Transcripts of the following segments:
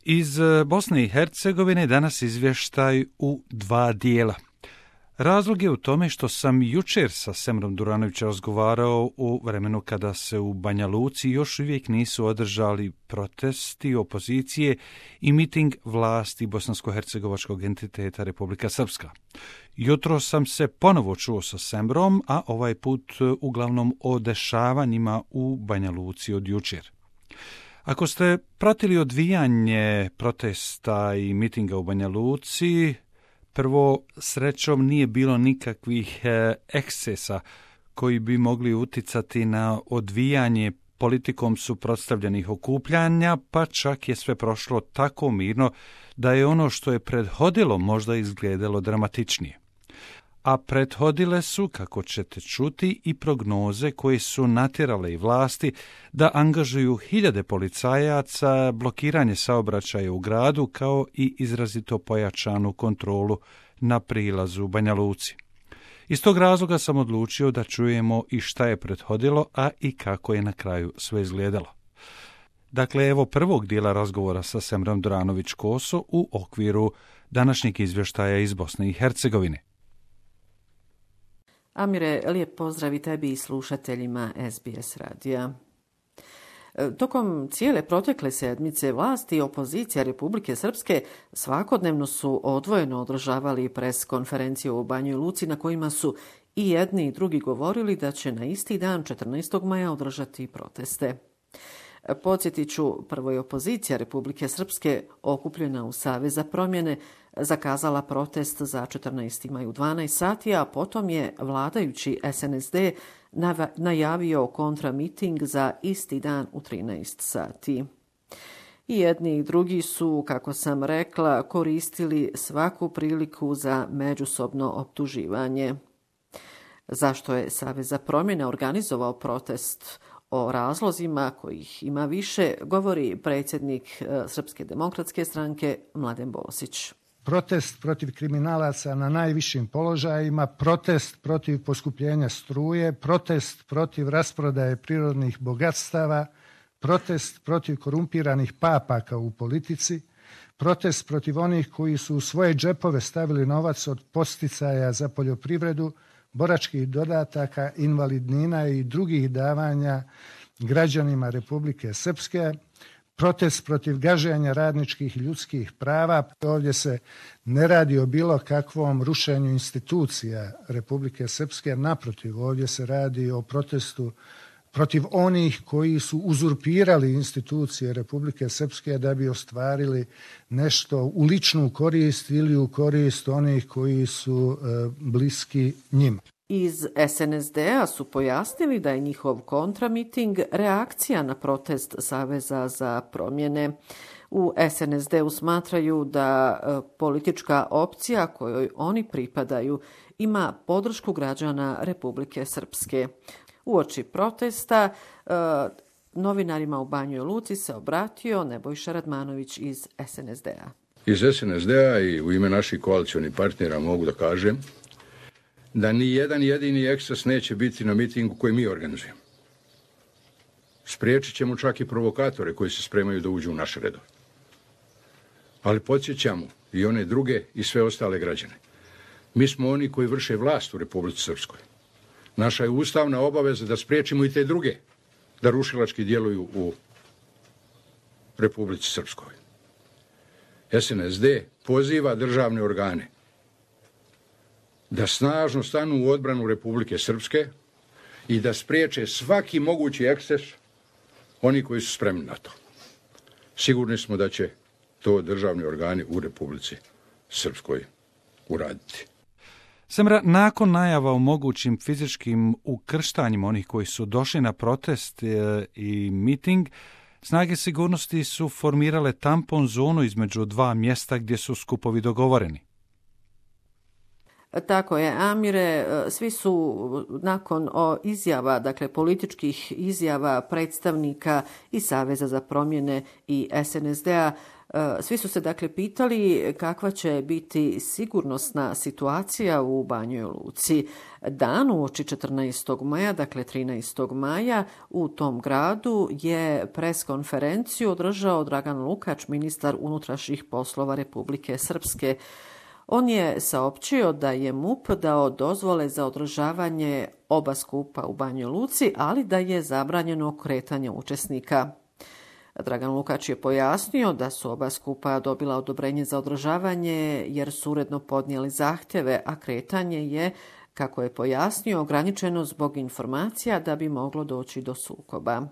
Iz Bosne i Hercegovine danas izvještaj u dva dijela. Razlog je u tome što sam jučer sa Semrom Duranovićem razgovarao u vremenu kada se u Banja Luci još uvijek nisu održali protesti opozicije i miting vlasti bosansko-hercegovačkog entiteta Republika Srpska. Jutro sam se ponovo čuo sa Semrom, a ovaj put uglavnom o dešavanjima u Banja Luci od jučer. Ako ste pratili odvijanje protesta i mitinga u Banja Luci, prvo, srećom nije bilo nikakvih ekscesa koji bi mogli uticati na odvijanje politikom suprotstavljenih okupljanja, pa čak je sve prošlo tako mirno da je ono što je prethodilo možda izgledalo dramatičnije. A prethodile su, kako ćete čuti, i prognoze koje su natjerale i vlasti da angažuju hiljade policajaca, blokiranje saobraćaja u gradu kao i izrazito pojačanu kontrolu na prilazu u Banja Luci. Iz tog razloga sam odlučio da čujemo i šta je prethodilo, a i kako je na kraju sve izgledalo. Dakle, evo prvog dijela razgovora sa Semrom Duranović-Koso u okviru današnjeg izvještaja iz Bosne i Hercegovine. Amire, lijep pozdrav i tebi i slušateljima SBS radija. Tokom cijele protekle sedmice vlasti i opozicija Republike Srpske svakodnevno su odvojeno održavali pres konferenciju u Banjoj Luci na kojima su i jedni i drugi govorili da će na isti dan 14. maja održati proteste. Podsjetit ću, prvo je opozicija Republike Srpske okupljena u Savez za promjene zakazala protest za 14. maj u 12 sati, a potom je vladajući SNSD najavio kontramiting za isti dan u 13 sati. I jedni i drugi su, kako sam rekla, koristili svaku priliku za međusobno optuživanje. Zašto je Savez za promjene organizovao protest? O razlozima, kojih ima više, govori predsjednik Srpske demokratske stranke Mladen Bosić. Protest protiv kriminalaca na najvišim položajima, protest protiv poskupljenja struje, protest protiv rasprodaje prirodnih bogatstava, protest protiv korumpiranih papaka u politici, protest protiv onih koji su u svoje džepove stavili novac od podsticaja za poljoprivredu, boračkih dodataka, invalidnina i drugih davanja građanima Republike Srpske, protest protiv gaženja radničkih i ljudskih prava. Ovdje se ne radi o bilo kakvom rušenju institucija Republike Srpske, naprotiv, ovdje se radi o protestu protiv onih koji su uzurpirali institucije Republike Srpske da bi ostvarili nešto u ličnu korist ili u korist onih koji su bliski njima. Iz SNSD-a su pojasnili da je njihov kontramiting reakcija na protest Saveza za promjene. U SNSD-u smatraju da politička opcija kojoj oni pripadaju ima podršku građana Republike Srpske. Uoči protesta novinarima u Banjoj Luci se obratio Nebojša Radmanović iz SNSD-a. Iz SNSD-a i u ime naših koalicionih partnera mogu da kažem da ni jedan jedini eksces neće biti na mitingu koji mi organizujemo. Spriječit ćemo čak i provokatore koji se spremaju da uđu u naše redove. Ali podsjećamo i one druge i sve ostale građane. Mi smo oni koji vrše vlast u Republici Srpskoj. Naša je ustavna obaveza da spriječimo i te druge da rušilački djeluju u Republici Srpskoj. SNSD poziva državne organe da snažno stanu u odbranu Republike Srpske i da spriječe svaki mogući eksces oni koji su spremni na to. Sigurni smo da će to državni organi u Republici Srpskoj uraditi. Semra, nakon najava o mogućim fizičkim ukrštanjima onih koji su došli na protest i miting, snage sigurnosti su formirale tampon zonu između dva mjesta gdje su skupovi dogovoreni. Tako je, Amire, svi su nakon izjava, dakle političkih izjava predstavnika i Saveza za promjene i SNSD-a, svi su se dakle pitali kakva će biti sigurnosna situacija u Banjoj Luci. Dan uoči 14. maja, dakle 13. maja, u tom gradu je preskonferenciju održao Dragan Lukač, ministar unutrašnjih poslova Republike Srpske. On je saopćio da je MUP dao dozvole za održavanje oba skupa u Banjoj Luci, ali da je zabranjeno kretanje učesnika. Dragan Lukač je pojasnio da su oba skupa dobila odobrenje za održavanje jer su uredno podnijeli zahtjeve, a kretanje je, kako je pojasnio, ograničeno zbog informacija da bi moglo doći do sukoba.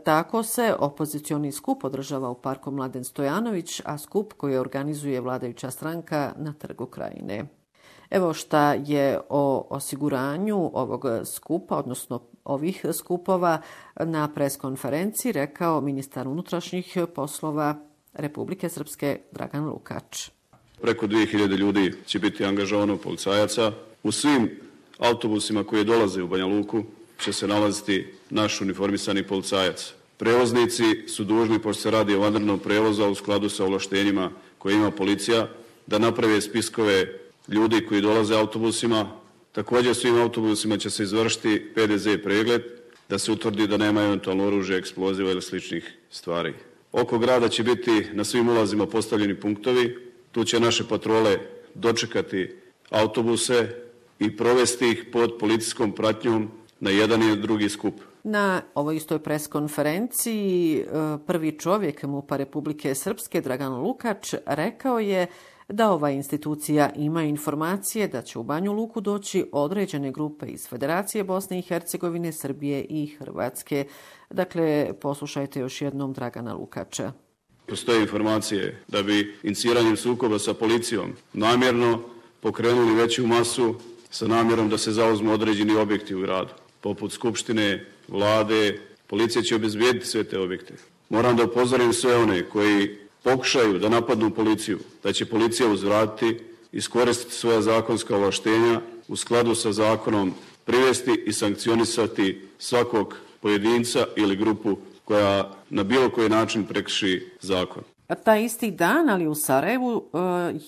Tako se opozicioni skup održava u parku Mladen Stojanović, a skup koji organizuje vladajuća stranka na Trgu Krajine. Evo šta je o osiguranju ovog skupa, odnosno ovih skupova, na preskonferenciji rekao ministar unutrašnjih poslova Republike Srpske Dragan Lukač. Preko 2000 ljudi će biti angažovano policajaca. U svim autobusima koji dolaze u Banja Luku će se nalaziti naš uniformisani policajac. Prevoznici su dužni, pošto se radi o vanrednom prevozu, u skladu sa ovlaštenjima koje ima policija, da naprave spiskove ljudi koji dolaze autobusima. Također svim autobusima će se izvršiti PDZ pregled, da se utvrdi da nema eventualno oružja, eksploziva ili sličnih stvari. Oko grada će biti na svim ulazima postavljeni punktovi. Tu će naše patrole dočekati autobuse i provesti ih pod policijskom pratnjom na jedan i drugi skup. Na ovoj istoj preskonferenciji prvi čovjek MUP-a Republike Srpske, Dragan Lukač, rekao je da ova institucija ima informacije da će u Banju Luku doći određene grupe iz Federacije Bosne i Hercegovine, Srbije i Hrvatske. Dakle, poslušajte još jednom Dragana Lukača. Postoje informacije da bi iniciranjem sukoba sa policijom namjerno pokrenuli veću masu sa namjerom da se zauzmu određeni objekti u gradu, poput Skupštine, Vlade. Policija će obezbijediti sve te objekte. Moram da upozorim sve one koji pokušaju da napadnu policiju, da će policija uzvratiti, iskoristiti svoja zakonska ovlaštenja, u skladu sa zakonom privesti i sankcionisati svakog pojedinca ili grupu koja na bilo koji način prekrši zakon. Taj isti dan, ali u Sarajevu,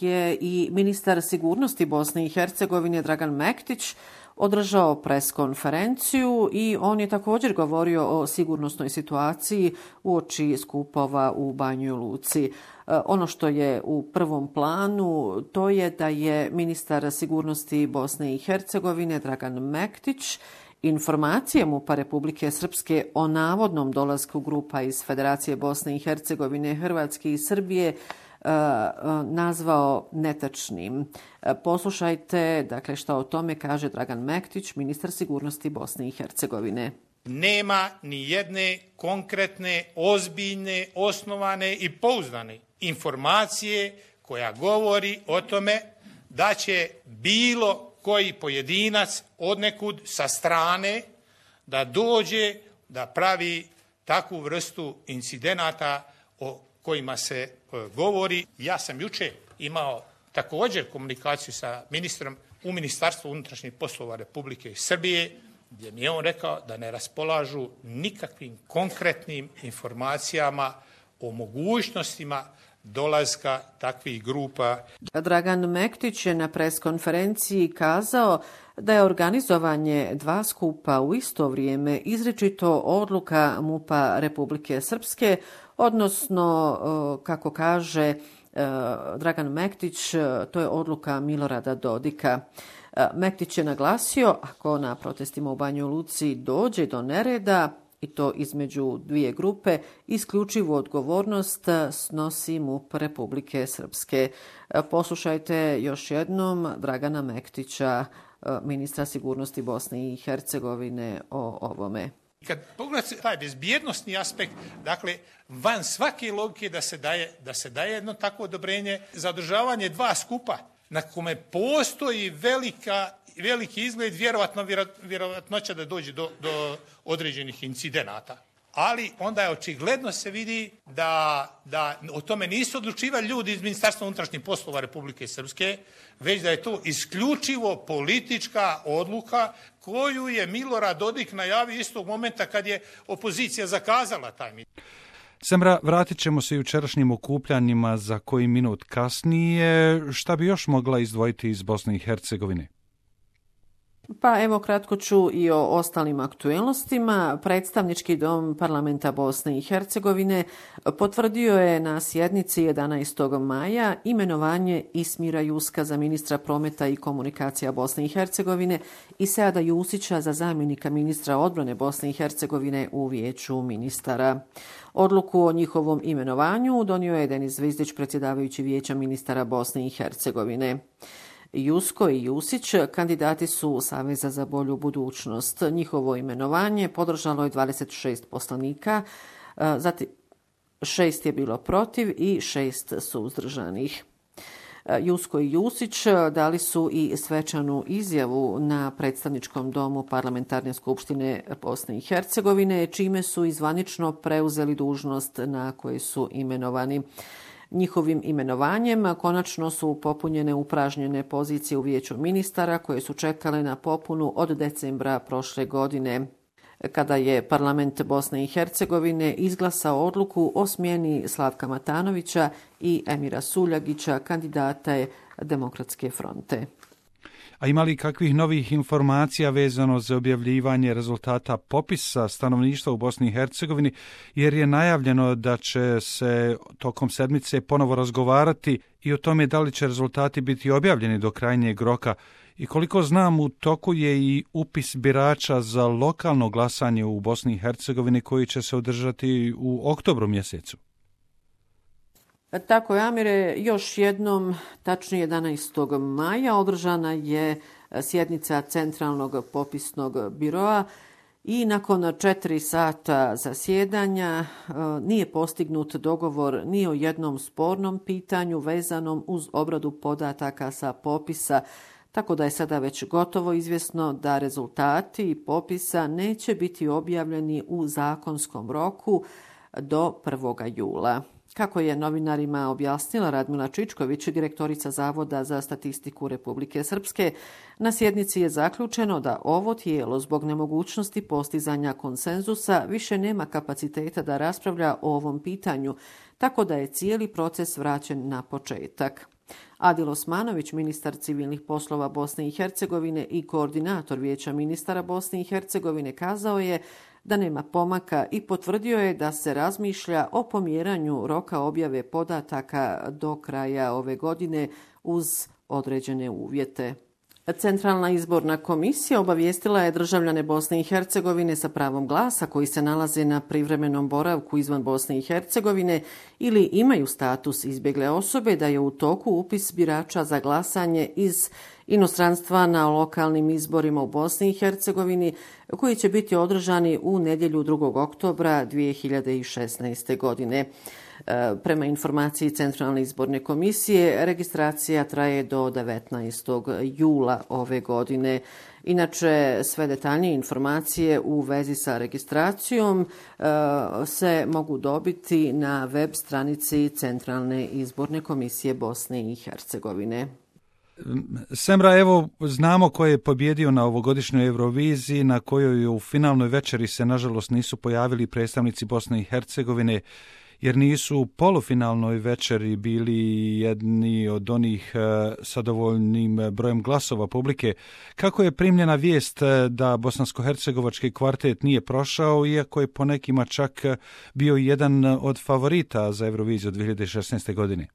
je i ministar sigurnosti Bosne i Hercegovine Dragan Mektić održao preskonferenciju i on je također govorio o sigurnosnoj situaciji uoči skupova u Banjoj Luci. Ono što je u prvom planu to je da je ministar sigurnosti Bosne i Hercegovine Dragan Mektić informacije MUP-a Republike Srpske o navodnom dolasku grupa iz Federacije Bosne i Hercegovine, Hrvatske i Srbije nazvao netačnim. Poslušajte, dakle, šta o tome kaže Dragan Mektić, ministar sigurnosti Bosne i Hercegovine. Nema ni jedne konkretne, ozbiljne, osnovane i pouzdane informacije koja govori o tome da će bilo koji pojedinac odnekud sa strane da dođe da pravi takvu vrstu incidenata o kojima se govori. Ja sam jučer imao također komunikaciju sa ministrom u Ministarstvu unutrašnjih poslova Republike Srbije, gdje mi je on rekao da ne raspolažu nikakvim konkretnim informacijama o mogućnostima dolaska takvih grupa. Dragan Mektić je na preskonferenciji kazao da je organizovanje dva skupa u isto vrijeme izričito odluka MUP-a Republike Srpske, odnosno, kako kaže Dragan Mektić, to je odluka Milorada Dodika. Mektić je naglasio, ako na protestima u Banjoj Luci dođe do nereda, i to između dvije grupe, isključivu odgovornost snosi MUP Republike Srpske. Poslušajte još jednom Dragana Mektića, ministra sigurnosti Bosne i Hercegovine, o ovome. Kad pogledate taj bezbjednostni aspekt, dakle, van svake logike da se daje jedno takvo odobrenje za održavanje dva skupa, na kome postoji veliki izgled, vjerovatnoća da dođe do određenih incidenata. ali onda je očigledno se vidi da o tome nisu odlučivali ljudi iz Ministarstva unutrašnjih poslova Republike Srpske, već da je to isključivo politička odluka koju je Milorad Dodik najavio istog momenta kad je opozicija zakazala taj miting. Semra, vratit ćemo se jučerašnjim okupljanjima za koji minut kasnije. Šta bi još mogla izdvojiti iz Bosne i Hercegovine? Pa evo kratko ću i o ostalim aktuelnostima. Predstavnički dom parlamenta Bosne i Hercegovine potvrdio je na sjednici 11. maja imenovanje Ismira Juska za ministra prometa i komunikacija Bosne i Hercegovine i Seada Jusića za zamjenika ministra odbrane Bosne i Hercegovine u vijeću ministara. Odluku o njihovom imenovanju donio je Denis Zvizdić, predsjedavajući vijeća ministara Bosne i Hercegovine. Jusko i Jusić kandidati su Saveza za bolju budućnost. Njihovo imenovanje podržalo je 26 poslanika, zatim 6 je bilo protiv i 6 suzdržanih. Jusko i Jusić dali su i svečanu izjavu na predstavničkom domu Parlamentarne skupštine Bosne i Hercegovine, čime su i zvanično preuzeli dužnost na koju su imenovani. Njihovim imenovanjem konačno su popunjene upražnjene pozicije u vijeću ministara koje su čekale na popunu od decembra prošle godine, kada je parlament Bosne i Hercegovine izglasao odluku o smjeni Slavka Matanovića i Emira Suljagića, kandidata Demokratske fronte. A ima li kakvih novih informacija vezano za objavljivanje rezultata popisa stanovništva u Bosni i Hercegovini, jer je najavljeno da će se tokom sedmice ponovo razgovarati i o tome da li će rezultati biti objavljeni do krajnjeg roka. I koliko znam, u toku je i upis birača za lokalno glasanje u Bosni i Hercegovini koji će se održati u oktobru mjesecu. Tako je, Amire, još jednom, tačnije 11. maja, održana je sjednica Centralnog popisnog biroa i nakon 4 sata zasjedanja nije postignut dogovor ni o jednom spornom pitanju vezanom uz obradu podataka sa popisa, tako da je sada već gotovo izvjesno da rezultati popisa neće biti objavljeni u zakonskom roku do 1. jula. Kako je novinarima objasnila Radmila Čičković, direktorica Zavoda za statistiku Republike Srpske, na sjednici je zaključeno da ovo tijelo zbog nemogućnosti postizanja konsenzusa više nema kapaciteta da raspravlja o ovom pitanju, tako da je cijeli proces vraćen na početak. Adil Osmanović, ministar civilnih poslova Bosne i Hercegovine i koordinator vijeća ministara Bosne i Hercegovine, kazao je da nema pomaka i potvrdio je da se razmišlja o pomjeranju roka objave podataka do kraja ove godine uz određene uvjete. Centralna izborna komisija obavijestila je državljane Bosne i Hercegovine sa pravom glasa koji se nalaze na privremenom boravku izvan Bosne i Hercegovine ili imaju status izbjegle osobe da je u toku upis birača za glasanje iz inostranstva na lokalnim izborima u Bosni i Hercegovini koji će biti održani u nedjelju 2. oktobra 2016. godine. Prema informaciji Centralne izborne komisije, registracija traje do 19. jula ove godine. Inače, sve detaljnije informacije u vezi sa registracijom se mogu dobiti na web stranici Centralne izborne komisije Bosne i Hercegovine. Semra, evo znamo ko je pobjedio na ovogodišnjoj Euroviziji, na kojoj u finalnoj večeri se nažalost nisu pojavili predstavnici Bosne i Hercegovine, jer nisu u polufinalnoj večeri bili jedni od onih sa dovoljnim brojem glasova publike. Kako je primljena vijest da bosansko-hercegovački kvartet nije prošao, iako je po nekima čak bio jedan od favorita za Euroviziju 2016. godine?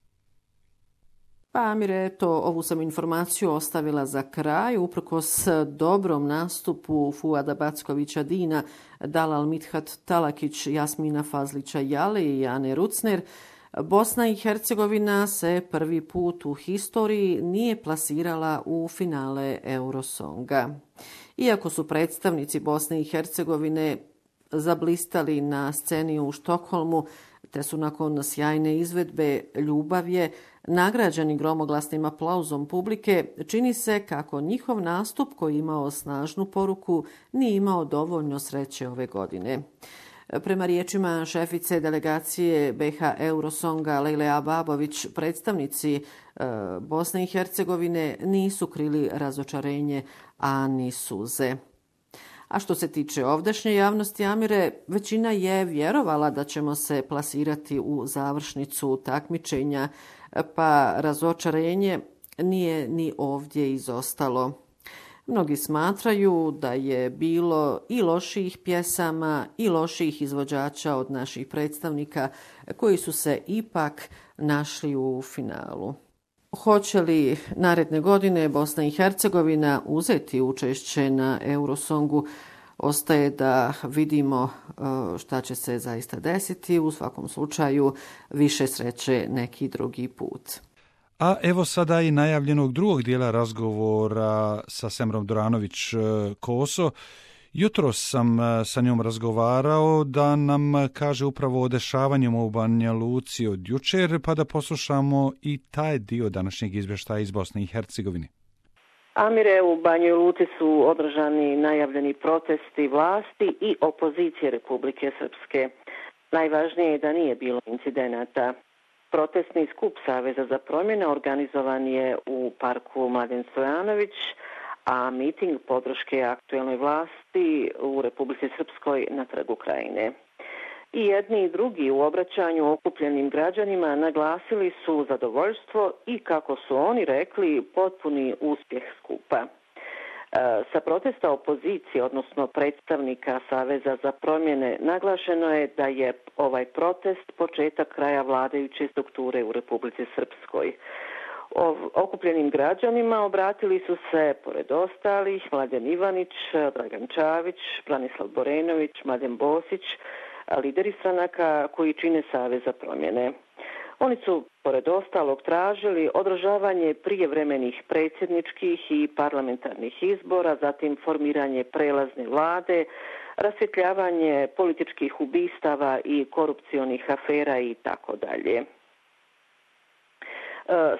Pa, Amire, ovu sam informaciju ostavila za kraj. Uprkos dobrom nastupu Fuada Backovića Dina, Dalal Mithat Talakić, Jasmina Fazlića Jale i Ane Rucner, Bosna i Hercegovina se prvi put u historiji nije plasirala u finale Eurosonga. Iako su predstavnici Bosne i Hercegovine zablistali na sceni u Štokholmu, te su nakon sjajne izvedbe Ljubavje nagrađeni gromoglasnim aplauzom publike, čini se kako njihov nastup, koji imao snažnu poruku, nije imao dovoljno sreće ove godine. Prema riječima šefice delegacije BiH Eurosonga Lejle Ababović, predstavnici Bosne i Hercegovine nisu krili razočarenje, a ni suze. A što se tiče ovdašnje javnosti, Amire, većina je vjerovala da ćemo se plasirati u završnicu takmičenja, pa razočarenje nije ni ovdje izostalo. Mnogi smatraju da je bilo i loših pjesama i loših izvođača od naših predstavnika koji su se ipak našli u finalu. Hoće li naredne godine Bosna i Hercegovina uzeti učešće na Eurosongu, ostaje da vidimo šta će se zaista desiti. U svakom slučaju više sreće neki drugi put. A evo sada i najavljenog drugog dijela razgovora sa Semrom Duranović-Koso. Jutros sam sa njom razgovarao da nam kaže upravo o dešavanjima u Banja Luci od jučer, pa da poslušamo i taj dio današnjeg izvještaja iz Bosne i Hercegovine. Amire, u Banjoj Luci su održani najavljeni protesti vlasti i opozicije Republike Srpske. Najvažnije je da nije bilo incidenata. Protestni skup Saveza za promjene organizovan je u parku Mladen Stojanović, a miting podrške aktuelnoj vlasti u Republici Srpskoj na Trgu Krajine. I jedni i drugi u obraćanju okupljenim građanima naglasili su zadovoljstvo i, kako su oni rekli, potpuni uspjeh skupa. Sa protesta opozicije, odnosno predstavnika Saveza za promjene, naglašeno je da je ovaj protest početak kraja vladajuće strukture u Republici Srpskoj. Okupljenim građanima obratili su se, pored ostalih, Mladen Ivanić, Dragan Čavić, Branislav Borenović, Mladen Bosić, lideri stranaka koji čine Savez za promjene. Oni su, pored ostalog, tražili održavanje prijevremenih predsjedničkih i parlamentarnih izbora, zatim formiranje prelazne vlade, rasvjetljavanje političkih ubistava i korupcionih afera i tako dalje.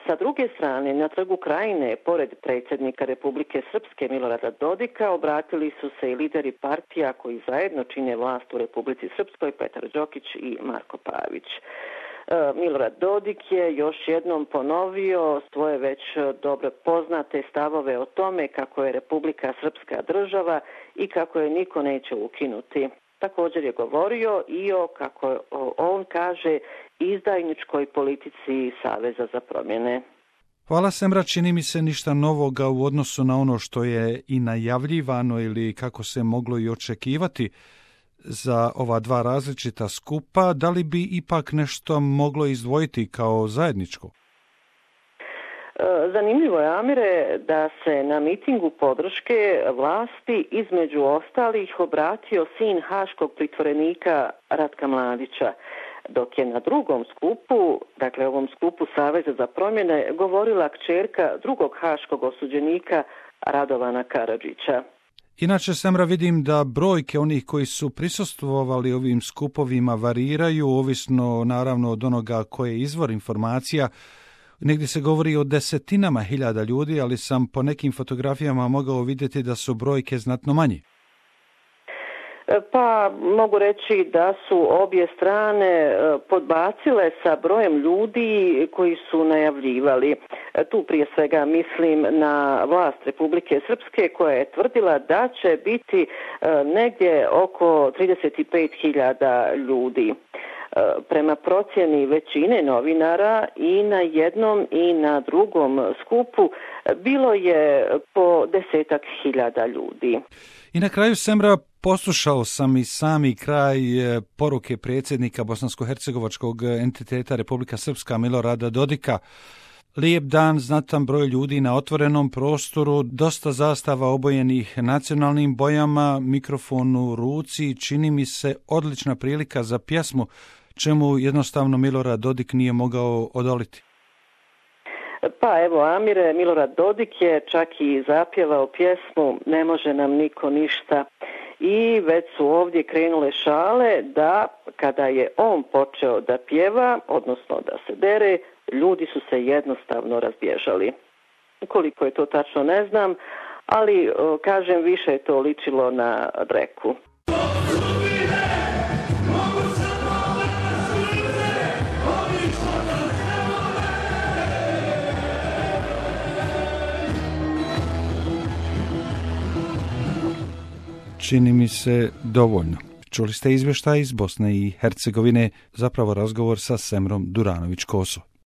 Sa druge strane, na Trgu Krajine, pored predsjednika Republike Srpske Milorada Dodika, obratili su se i lideri partija koji zajedno čine vlast u Republici Srpskoj, Petar Đokić i Marko Pavić. Milorad Dodik je još jednom ponovio svoje već dobro poznate stavove o tome kako je Republika Srpska država i kako je niko neće ukinuti. Također je govorio i o, kako on kaže, izdajničkoj politici Saveza za promjene. Hvala, Semra, čini mi se ništa novoga u odnosu na ono što je i najavljivano ili kako se moglo i očekivati za ova dva različita skupa. Da li bi ipak nešto moglo izdvojiti kao zajedničko? Zanimljivo je, Amire, da se na mitingu podrške vlasti između ostalih obratio sin haškog pritvorenika Ratka Mladića, dok je na drugom skupu, dakle ovom skupu Saveza za promjene, govorila kćerka drugog haškog osuđenika Radovana Karadžića. Inače, Semra, vidim da brojke onih koji su prisustvovali ovim skupovima variraju, ovisno naravno od onoga koje je izvor informacija. Negdje se govori o desetinama hiljada ljudi, ali sam po nekim fotografijama mogao vidjeti da su brojke znatno manje. Pa mogu reći da su obje strane podbacile sa brojem ljudi koji su najavljivali. Tu prije svega mislim na vlast Republike Srpske koja je tvrdila da će biti negdje oko 35.000 ljudi. Prema procjeni većine novinara i na jednom i na drugom skupu bilo je po 10.000 ljudi. I na kraju, Semra, poslušao sam i sami kraj poruke predsjednika bosansko-hercegovačkog entiteta Republika Srpska Milorada Dodika. Lijep dan, znatan broj ljudi na otvorenom prostoru, dosta zastava obojenih nacionalnim bojama, mikrofon u ruci, čini mi se odlična prilika za pjesmu, čemu jednostavno Milorad Dodik nije mogao odoliti. Pa evo, Amire, Milorad Dodik je čak i zapjevao pjesmu Ne može nam niko ništa. I već su ovdje krenule šale da kada je on počeo da pjeva, odnosno da se dere, ljudi su se jednostavno razbježali. Koliko je to tačno ne znam, ali kažem, više je to ličilo na dreku. čini mi se dovoljno. Čuli ste izvještaj iz Bosne i Hercegovine, zapravo razgovor sa Semrom Duranović-Koso.